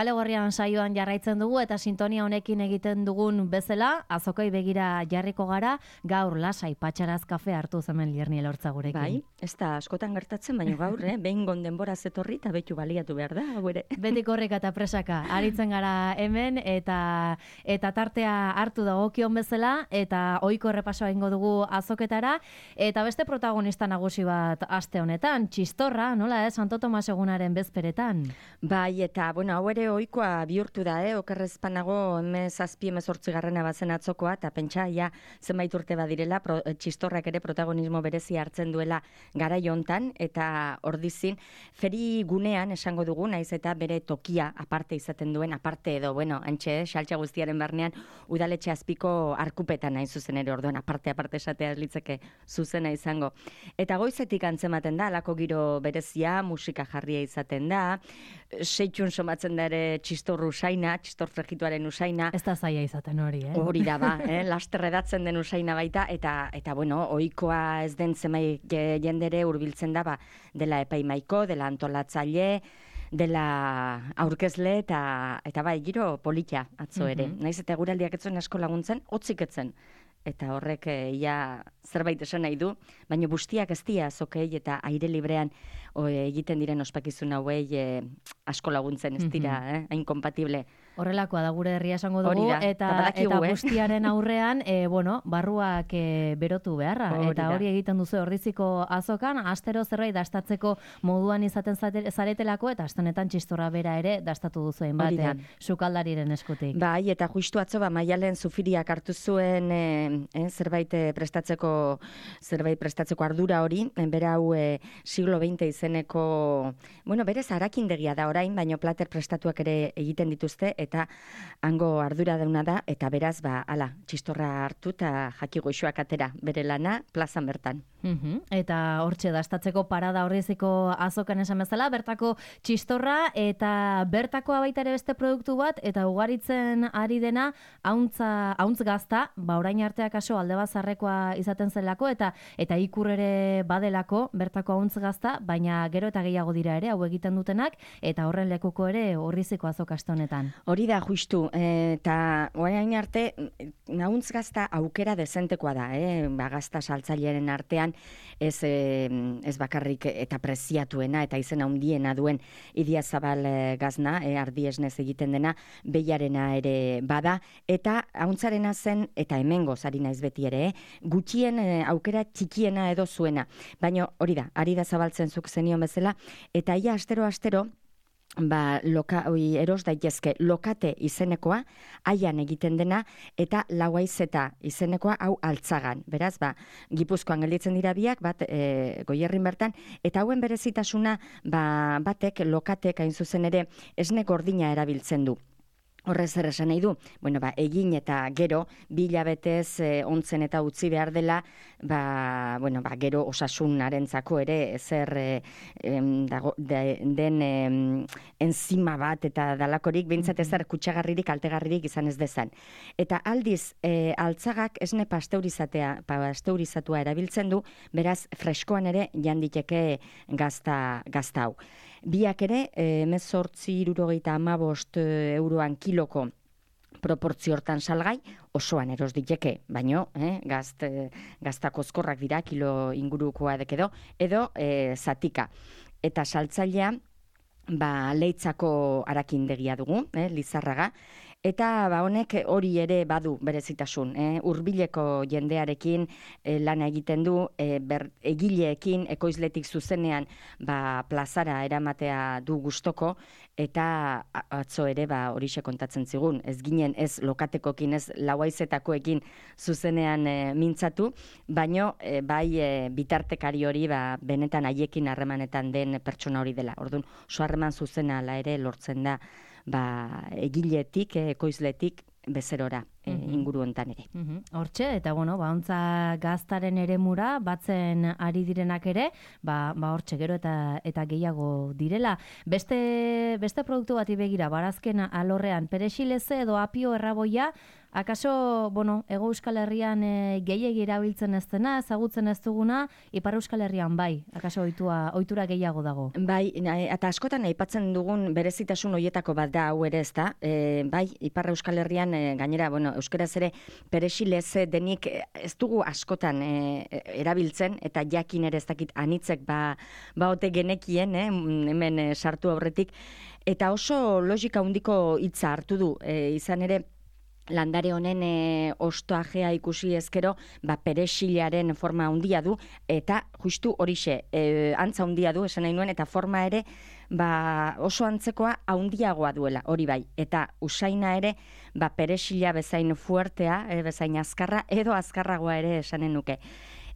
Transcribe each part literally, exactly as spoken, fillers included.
Kale Gorrian saioan jarraitzen dugu eta sintonia honekin egiten dugun bezala, azokoi begira jarriko gara, gaur lasai patxaraz kafe hartu hemen Lierni Elortza gurekin. Bai, ez da askotan gertatzen, baina gaur, eh, behin denbora zetorri eta betu baliatu behar da, hau ere. Beti korrika eta presaka, aritzen gara hemen eta eta tartea hartu dagokion bezala eta ohiko errepasoa egingo dugu azoketara eta beste protagonista nagusi bat aste honetan, txistorra, nola ez, Santo Tomas egunaren bezperetan. Bai, eta bueno, hau ere ohikoa bihurtu da, eh? Okerrezpanago emez zazpi emezortzigarrena bazen atzokoa, eta pentsa, ja, zenbait urte badirela, pro, txistorrak ere protagonismo berezi hartzen duela garai hontan, eta ordizin, feri gunean esango dugu, naiz eta bere tokia aparte izaten duen, aparte edo, bueno, antxe, xaltxa guztiaren barnean, udaletxe azpiko arkupetan nahi zuzen ere, orduan, aparte, aparte esatea litzeke zuzena izango. Eta goizetik antzematen da, alako giro berezia, musika jarria izaten da, seitxun somatzen da ere txistor usaina, txistor frejituaren usaina. Ez da zaila izaten hori, eh? Hori da ba, eh? Laster edatzen den usaina baita, eta, eta bueno, ohikoa ez den zemai jendere hurbiltzen da, ba, dela epaimaiko, dela antolatzaile, dela aurkezle, eta, eta bai, giro politia atzo ere. Mm -hmm. Naiz eta guraldiak etzuen asko laguntzen, hotzik etzen. Eta horrek ia zerbait esan nahi du, baina bustiak ez dia azokei eta aire librean o, egiten diren ospakizun hauei e, asko laguntzen ez dira, eh? Hain kompatible. Horrelakoa da gure herria esango dugu, da, eta, eta eh? bustiaren aurrean, e, bueno, barruak e, berotu beharra, hori eta hori egiten duzu ordiziko azokan, astero zerbait dastatzeko moduan izaten zaretelako, eta astenetan txistorra bera ere dastatu duzuen bat, sukaldariren eskutik. Bai, eta justu atzo, ba, Maialen Zufiriak hartu zuen e, e, zerbait prestatzeko zerbait prestatzeko ardura hori, bera hau e, siglo veinte izeneko, bueno, berez harakindegia da orain, baino plater prestatuak ere egiten dituzte, eta hango ardura dauna da, eta beraz, ba, ala, txistorra hartu eta jaki goixoak atera, bere lana, plazan bertan. Uhum. Eta hortxe dastatzeko parada horriziko azokan esan bezala, bertako txistorra, eta bertako baita ere beste produktu bat, eta ugaritzen ari dena, hauntza, hauntz gazta, ba, orain arteak aso alde bazarrekoa izaten zelako, eta eta ikur ere badelako, bertako hauntz gazta, baina gero eta gehiago dira ere, hau egiten dutenak, eta horren lekuko ere horriziko azokaste honetan. Hori da, justu, eta orain arte, hauntz gazta aukera dezentekoa da, eh? Ba, gazta saltzailearen artean, ez, ez bakarrik eta preziatuena, eta izena handiena duen Idiazabal gazna, eh, ardiesnez egiten dena, behiarena ere bada, eta hauntzarena zen, eta hemengo zari naiz beti ere, eh? gutxien eh, aukera txikiena edo zuena. Baina hori da, ari da zabaltzen zuk zenion bezala, eta ia astero-astero, ba, loka, oi, eros daitezke lokate izenekoa, haian egiten dena, eta lauaizeta izenekoa hau altzagan. Beraz, ba, Gipuzkoan gelditzen dira biak, bat e, Goierrin bertan, eta hauen berezitasuna ba, batek lokatek hain zuzen ere esne gordina erabiltzen du. Horrez zer esan nahi du, bueno, ba, egin eta gero, bi hilabetez e, ontzen eta utzi behar dela, ba, bueno, ba, gero osasunarentzako ere, zer e, em, dago, de, den em, enzima bat eta dalakorik, behintzat ezer kutsagarririk, altegarririk izan ez dezan. Eta aldiz, e, altzagak esne pasteurizatea, pasteurizatua erabiltzen du, beraz, freskoan ere janditeke gazta, gazta hau. Biak ere, emezortzi irurogeita amabost euroan kiloko proportzio hortan salgai, osoan eros diteke, baino, eh, gazt, gaztakozkorrak dira, kilo ingurukoa dekedo, edo e, zatika. Eta saltzailea, ba, leitzako arakindegia dugu, eh, Lizarraga, eta ba, honek hori ere badu berezitasun. Eh? Hurbileko jendearekin eh, lana egiten du, eh, ber, egileekin, ekoizletik zuzenean ba, plazara eramatea du gustoko, eta atzo ere ba, horixe kontatzen zigun. Ez ginen ez lokatekokin, ez lauaizetakoekin zuzenean eh, mintzatu, baino eh, bai eh, bitartekari hori ba, benetan haiekin harremanetan den pertsona hori dela. Orduan, oso harreman zuzena ala ere lortzen da, ba, egiletik, ekoizletik, bezerora e, inguru hontan ere. Hortxe, eta bueno, ba, ontza gaztaren eremura batzen ari direnak ere, ba, ba hortxe gero eta eta gehiago direla. Beste, beste produktu bati begira, barazken alorrean, perexileze edo apio erraboia, akaso, bueno, Hego Euskal Herrian e, gehiegi erabiltzen ez dena, ezagutzen ez duguna, Ipar Euskal Herrian bai, akaso ohitua, ohitura gehiago dago. Bai, eta askotan aipatzen dugun berezitasun hoietako bat da hau ere, ezta? E, bai, Ipar Euskal Herrian e, gainera, bueno, euskaraz ere perexileze denik ez dugu askotan e, erabiltzen, eta jakin ere ez dakit anitzek ba, ba ote genekien, eh, hemen e, sartu aurretik, eta oso logika handiko hitza hartu du, e, izan ere, landare honen e, ostoajea ikusi ezkero, ba, perexilaren forma handia du, eta justu horixe, e, antza handia du, esan nahi nuen, eta forma ere, ba, oso antzekoa handiagoa duela, hori bai, eta usaina ere, ba, perexila bezain fuertea, e, bezain azkarra, edo azkarragoa ere esanen nuke.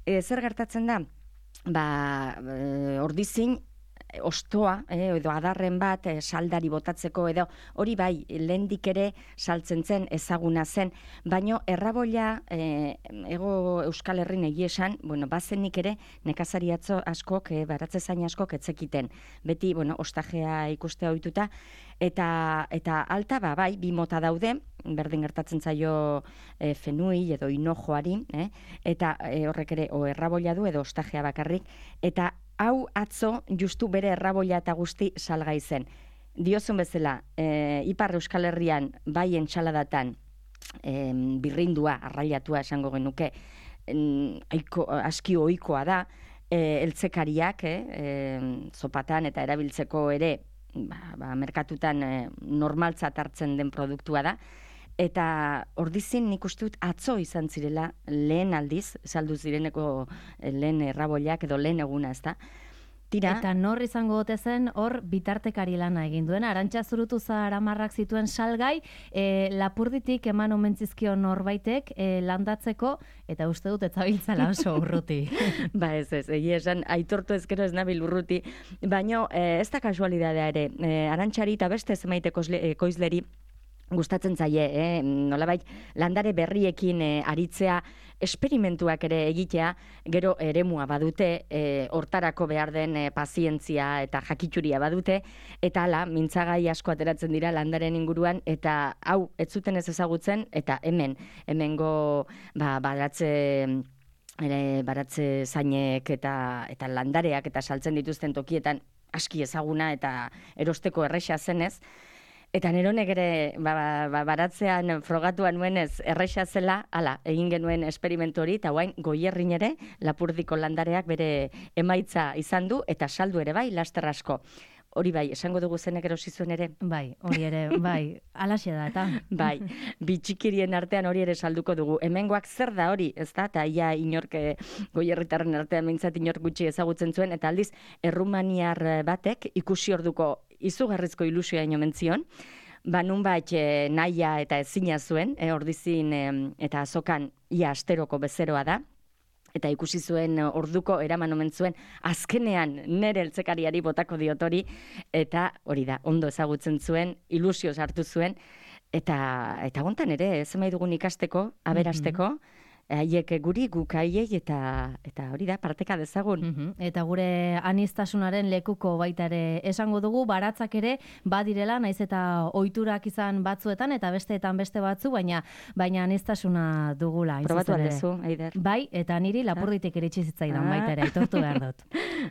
E, zer gertatzen da? Ba, e, ordizin, ostoa, eh, edo adarren bat, eh, saldari botatzeko edo, hori bai, lehendik ere saltzen zen, ezaguna zen, baino erraboila, eh, Hego Euskal Herrin egia esan, bueno, bazenik ere, nekazari atzo askok, eh, baratze zain askok etzekiten. Beti, bueno, ostajea ikustea ohituta, eta eta alta, ba, bai, bi mota daude, berdin gertatzen zaio e, fenui edo hinojoari, eh? eta e, horrek ere o erraboila du edo ostajea bakarrik, eta hau atzo justu bere erraboila eta guzti salgai zen. Diozun bezala, e, Ipar Euskal Herrian bai entsaladatan e, birrindua, arrailatua esango genuke, en, aiko, aski ohikoa da, e, eltzekariak, eh? e, zopatan eta erabiltzeko ere, ba, ba, merkatutan e, normaltzat hartzen den produktua da, eta ordizin nik uste dut atzo izan zirela lehen aldiz, saldu zireneko lehen erraboiak edo lehen eguna, ezta? Tira. Eta nor izango ote zen hor bitartekari lana egin duen. Arantxa Zurutuza Aramarrak zituen salgai, e, lapurditik eman omentzizkio norbaitek e, landatzeko, eta uste dut etzabiltzala oso urruti. Ba ez ez, egia esan, aitortu ezkero ez nabil urruti, baina e, ez da kasualidadea ere, e, Arantxari eta beste zemaiteko ekoizleri gustatzen zaie, eh? Nolabait landare berriekin eh, aritzea, esperimentuak ere egitea, gero eremua badute, eh, hortarako behar den eh, pazientzia eta jakituria badute, eta hala, mintzagai asko ateratzen dira landaren inguruan, eta hau, ez zuten ez ezagutzen, eta hemen, hemengo ba, baratze... ere baratze zainek eta eta landareak eta saltzen dituzten tokietan aski ezaguna eta erosteko erresa zenez. Eta neronek ere ba, ba, baratzean frogatuan nuenez erresa zela, hala, egin genuen esperimentu hori, eta guain Goierrin ere Lapurdiko landareak bere emaitza izan du, eta saldu ere bai, laster asko. Hori bai, esango dugu zenek erosi zuen ere? Bai, hori ere, bai, alaxe da, eta. Bai, bitxikirien artean hori ere salduko dugu. Hemengoak zer da hori, ez da? Eta ia inork Goierritarren artean mintzat inork gutxi ezagutzen zuen, eta aldiz, errumaniar batek ikusi orduko izugarrizko ilusioa ino mentzion, ba nunbait e, nahia eta ezina zuen, e, ordizin e, eta azokan ia asteroko bezeroa da, eta ikusi zuen orduko eraman omen zuen, azkenean nere eltzekariari botako diotori, eta hori da, ondo ezagutzen zuen, ilusio sartu zuen, eta eta gontan ere, zemai dugun ikasteko, aberasteko, haiek guri guk haiei eta eta hori da parteka dezagun. Mm-hmm. Eta gure anistasunaren lekuko baita ere esango dugu, baratzak ere badirela, naiz eta ohiturak izan batzuetan eta besteetan beste batzu, baina baina anistasuna dugula. Probatu aldezu, Aider. Bai, eta niri Lapurditik iritsi zitzaidan baita ere, aitortu behar dut.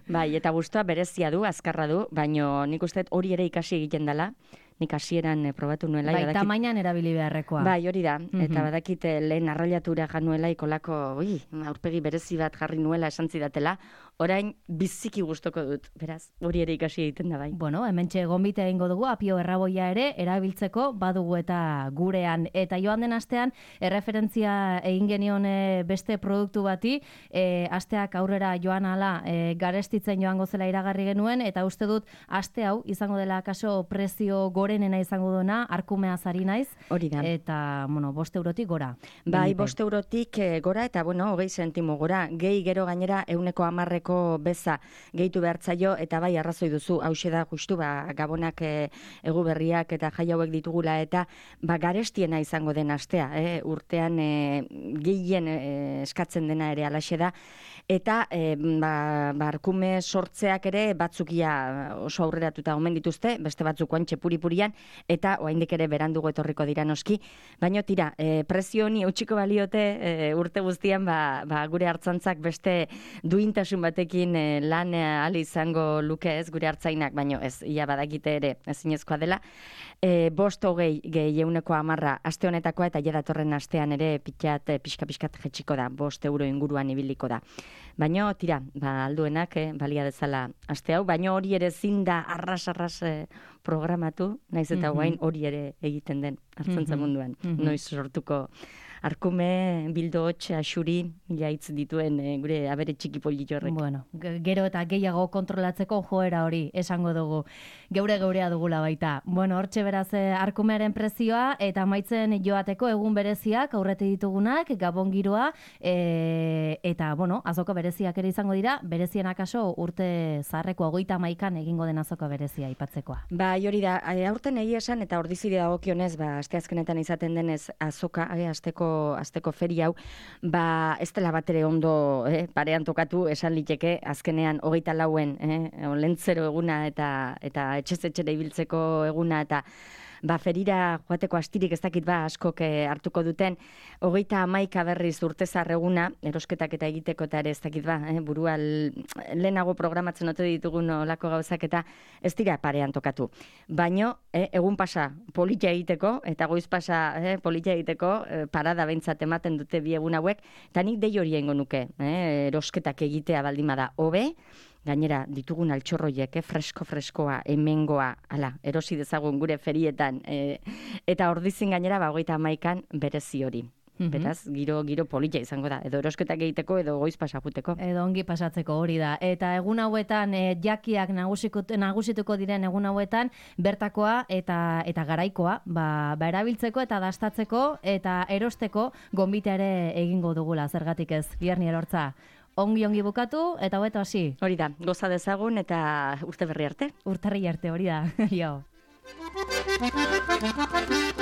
Bai, eta gustua berezia du, azkarra du, baino nik uste hori ere ikasi egiten dela. Nik hasieran probatu nuela. Bai, badakit... tamainan erabili beharrekoa. Bai, hori da. Mm-hmm. Eta badakit lehen arrailatura januela ikolako, ui, aurpegi berezi bat jarri nuela esan zidatela. Orain biziki gustoko dut, beraz, hori ere ikasi egiten da bai. Bueno, hementxe gonbite egingo dugu, apio erraboia ere erabiltzeko badugu eta gurean. Eta joan den astean, erreferentzia egin genion beste produktu bati, e, asteak aurrera joan ala e, garestitzen joango zela iragarri genuen, eta uste dut aste hau izango dela kaso prezio gorenena izango duena, arkumeaz ari naiz. Hori da. Eta, bueno, bost eurotik gora. Bai, bost eurotik gora, eta, bueno, hogei sentimo gora. Gehi gero gainera euneko hamarreko ehuneko beza gehitu behartzaio, eta bai arrazoi duzu, hause da justu, ba, gabonak e, egu berriak eta jai hauek ditugula, eta ba, garestiena izango den astea, eh? urtean e, gehien e, eskatzen dena ere alaxe da, eta e, ba, barkume sortzeak ere batzukia oso aurreratuta omen dituzte, beste batzuk oantxe puri-purian, eta oraindik ere berandugo etorriko dira noski, baina tira, e, prezio honi eutxiko baliote e, urte guztian ba, ba, gure hartzantzak beste duintasun batekin e, lan ahal izango luke ez gure hartzainak, baina ez, ia badakite ere ezinezkoa dela. E, bost hogei gehi euneko amarra aste honetakoa, eta ja datorren astean ere pitxat, pixka-pixkat jetxiko da, bost euro inguruan ibiliko da. Baina, tira, ba, alduenak, eh, balia dezala aste hau, baina hori ere zin da arras-arras eh, programatu, naiz eta Mhm. guain hori ere egiten den hartzantza Mhm. munduan. Mhm. Noiz sortuko arkume, bildo hotxe, asuri, jaitz dituen eh, gure abere txiki politi horrek. Bueno, ge- gero eta gehiago kontrolatzeko joera hori esango dugu. Geure geurea dugula baita. Bueno, hortxe beraz eh, arkumearen prezioa eta amaitzen joateko egun bereziak aurreti ditugunak, gabon giroa, e, eta, bueno, azoka bereziak ere izango dira, berezien akaso urte zaharreko hogeita hamaikan egingo den azoka berezia aipatzekoa. Ba, hori da, e, aurten egia esan, eta ordizide dagokionez, ba, asteazkenetan izaten denez azoka, e, asteko, asteko feri hau, ba, ez dela batere ondo eh, parean tokatu, esan liteke, azkenean hogeita lauen, eh, lentzero eguna eta eta etxez etxera ibiltzeko eguna, eta ba, ferira joateko astirik ez dakit ba, askok eh, hartuko duten, hogeita hamaika berriz urtezar eguna, erosketak eta egiteko eta ere ez dakit ba, eh, burua lehenago programatzen ote ditugun olako gauzak eta ez dira parean tokatu. Baino, eh, egun pasa politia egiteko, eta goiz pasa eh, politia egiteko, eh, parada behintzat ematen dute bi egun hauek, eta nik dei hori egingo nuke, eh, erosketak egitea baldimada hobe, gainera ditugun altxorroiek, eh, fresko-freskoa, hemengoa, ala, erosi dezagun gure ferietan, eh, eta ordizin gainera, ba, hogeita hamaikan berezi hori. Mhm. Beraz, giro, giro polita izango da, edo erosketak egiteko, edo goiz pasajuteko. Edo ongi pasatzeko hori da. Eta egun hauetan, e, jakiak nagusiko- nagusituko diren egun hauetan, bertakoa eta eta garaikoa, ba, ba erabiltzeko eta dastatzeko eta erosteko gonbita ere egingo dugula, zergatik ez, Bierni Elortza. Ongi ongi bukatu eta hobeto hasi. Hori da, goza dezagun eta urte berri arte. Urtarri arte hori da. Jo.